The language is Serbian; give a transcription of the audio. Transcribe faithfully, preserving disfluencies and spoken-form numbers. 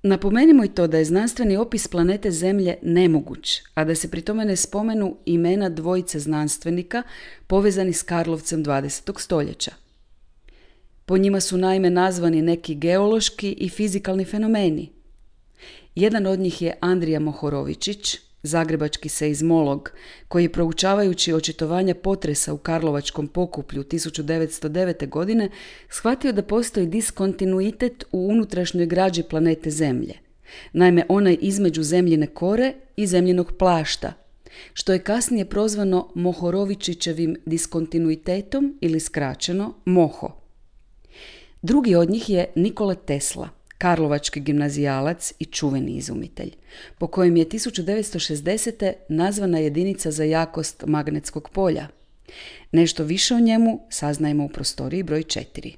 Napomenimo i to da je znanstveni opis planete Zemlje nemoguć, a da se pri tome ne spomenu imena dvojice znanstvenika povezani s Karlovcem dvadesetog stoljeća. Po njima su naime nazvani neki geološki i fizikalni fenomeni. Jedan od njih je Andrija Mohorovičić, zagrebački seizmolog, koji je proučavajući očitovanja potresa u Karlovačkom pokuplju tisuću devetsto devete. godine shvatio da postoji diskontinuitet u unutrašnjoj građi planete Zemlje, naime onaj između zemljine kore i zemljinog plašta, što je kasnije prozvano Mohorovičićevim diskontinuitetom ili skraćeno MOHO. Drugi od njih je Nikola Tesla, karlovački gimnazijalac i čuveni izumitelj, po kojem je tisuću devetsto šezdesete. nazvana jedinica za jakost magnetskog polja. Nešto više o njemu saznajemo u prostoriji broj četiri.